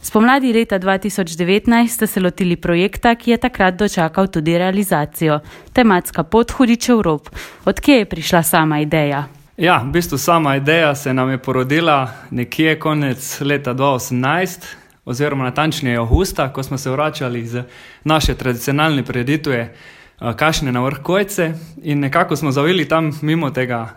Spomladi leta 2019 ste se lotili projekta, ki je takrat dočakal tudi realizacijo. Tematska pot Hudičev rob. Od kje je prišla sama ideja? Ja, v bistvu sama ideja se nam je porodila nekje konec leta 2018, oziroma natančneje avgusta, ko smo se vračali z naše tradicionalne prireditve Kašne na vrh Kojce in nekako smo zavili tam mimo tega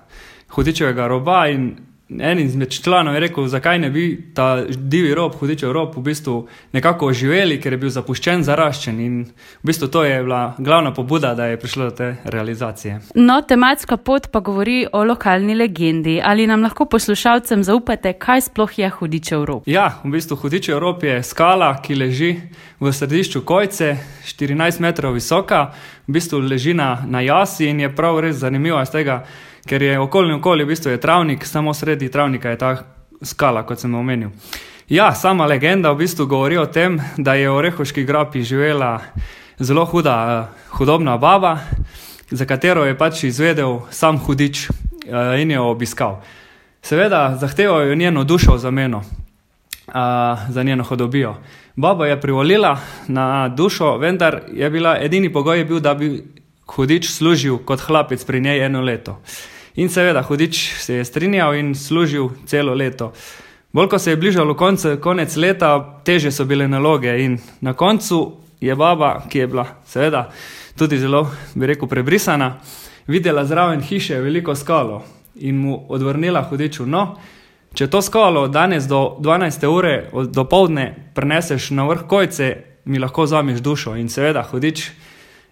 Hudičevega roba in en izmed članov je rekel, zakaj ne bi ta divji rob, Hudičev rob, v bistvu nekako oživeli, ker je bil zapuščen, zaraščen in v bistvu to je bila glavna pobuda, da je prišlo do te realizacije. No, tematska pot pa govori o lokalni legendi. Ali nam lahko poslušalcem zaupate, kaj sploh je Hudičev rob? Ja, v bistvu Hudičev rob je skala, ki leži v središču Kojce, 14 metrov visoka, v bistvu leži na jasi in je prav res zanimiva iz tega, ker je okoli v bistvu je travnik, samo sredi travnika je ta skala, kot sem omenil. Ja, sama legenda v bistvu govori o tem, da je v Orehovški grapi živela zelo hudobna baba, za katero je pač izvedel sam hudič in jo obiskal. Seveda zahteval je njeno dušo v zameno za njeno hudobijo. Baba je privolila na dušo, vendar je bila edini pogoj bil, da bi hudič služil kot hlapec pri njej 1 leto. In seveda, hudič se je strinjal in služil celo leto. Bolj ko se je bližalo konec leta, teže so bile naloge in na koncu je baba, ki je bila seveda tudi zelo, bi rekel, prebrisana, videla zraven hiše veliko skalo in mu odvrnila hudiču, no, če to skalo danes do 12. ure dopoldne prineseš na vrh Kojce, mi lahko vzameš dušo. In seveda, hudič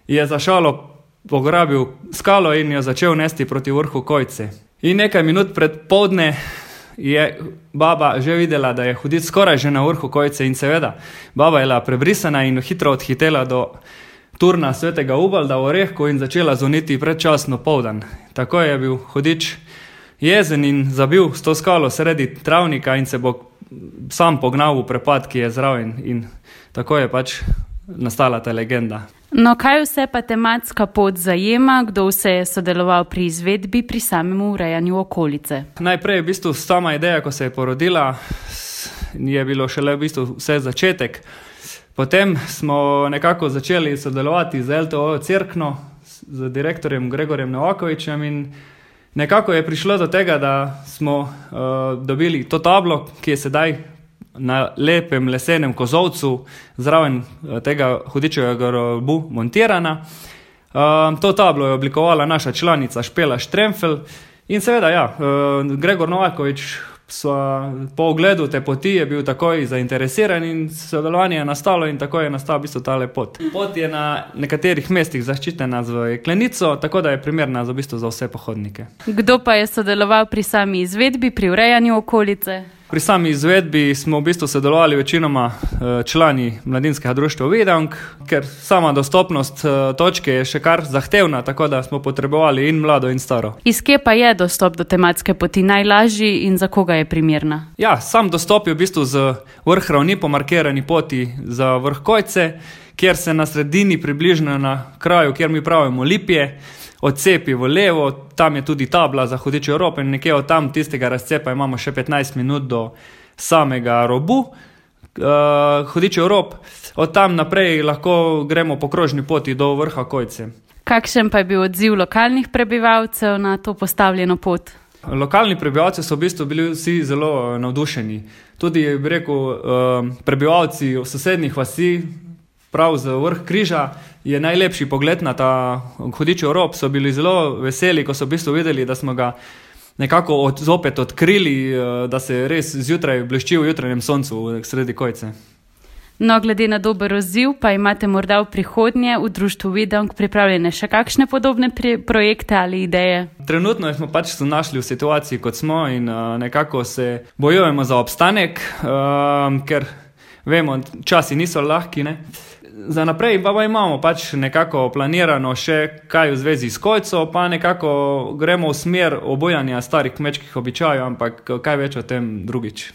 je za šalo pograbil skalo in jo začel nesti proti vrhu Kojce. In nekaj minut pred poldne je baba že videla, da je hudič skoraj že na vrhu Kojce in seveda, baba je bila prebrisana in hitro odhitela do turna svetega Ubalda v Orehku in začela zvoniti predčasno poldan. Tako je bil hudič jezen in zabil s to skalo sredi travnika in se bo sam pognal v prepad, ki je zraven in tako je pač nastala ta legenda. No, kaj vse pa tematska pot zajema, kdo vse je sodeloval pri izvedbi, pri samem urejanju okolice? Najprej je v bistvu sama ideja, ko se je porodila, je bilo šele v bistvu vse začetek. Potem smo nekako začeli sodelovati z LTO Cerkno, z direktorjem Gregorjem Novakovičem in nekako je prišlo do tega, da smo dobili to tablo, ki je sedaj na lepem lesenem kozolcu zraven tega Hudičevega robu montirana. To tablo je oblikovala naša članica Špela Štremfelj in seveda, ja, Gregor Novakovič po ogledu te poti je bil takoj zainteresiran in sodelovanje je nastalo in tako je nastal v bistvu tale pot. Pot je na nekaterih mestih zaščitena z jeklenico, tako da je primerna v bistvu za vse pohodnike. Kdo pa je sodeloval pri sami izvedbi, pri urejanju okolice? Pri sami izvedbi smo v bistvu sodelovali večinoma člani Mladinskega društva Vidang, ker sama dostopnost točke je še kar zahtevna, tako da smo potrebovali in mlado in staro. Iz kje pa je dostop do tematske poti najlažji in za koga je primerna? Ja, sam dostop je v bistvu z vrh ravni po markirani poti za vrh Kojce, kjer se na sredini približno na kraju, kjer mi pravimo Lipje, odcepi v levo, tam je tudi tabla za Hudičev rob in nekje od tam tistega razcepa imamo še 15 minut do samega robu Hudičev rob. Od tam naprej lahko gremo po krožni poti do vrha Kojce. Kakšen pa je bil odziv lokalnih prebivalcev na to postavljeno pot? Lokalni prebivalci so v bistvu bili vsi zelo navdušeni. Tudi, bi rekel, prebivalci v sosednjih vasi, prav z vrh Križa, je najlepši pogled na ta Hudičev rob. So bili zelo veseli, ko so v bistvu videli, da smo ga nekako zopet odkrili, da se res zjutraj blešči v jutranjem soncu sredi Kojce. No, glede na dober odziv, pa imate morda v prihodnje v društvu Vidang pripravljene še kakšne podobne projekte ali ideje? Trenutno smo pač se našli v situaciji, kot smo in nekako se bojujemo za obstanek, ker vemo, časi niso lahki, ne? Za naprej pa imamo pač nekako planirano še kaj v zvezi s Kojco, pa nekako gremo v smer obujanja starih kmečkih običajev, ampak kaj več o tem drugič.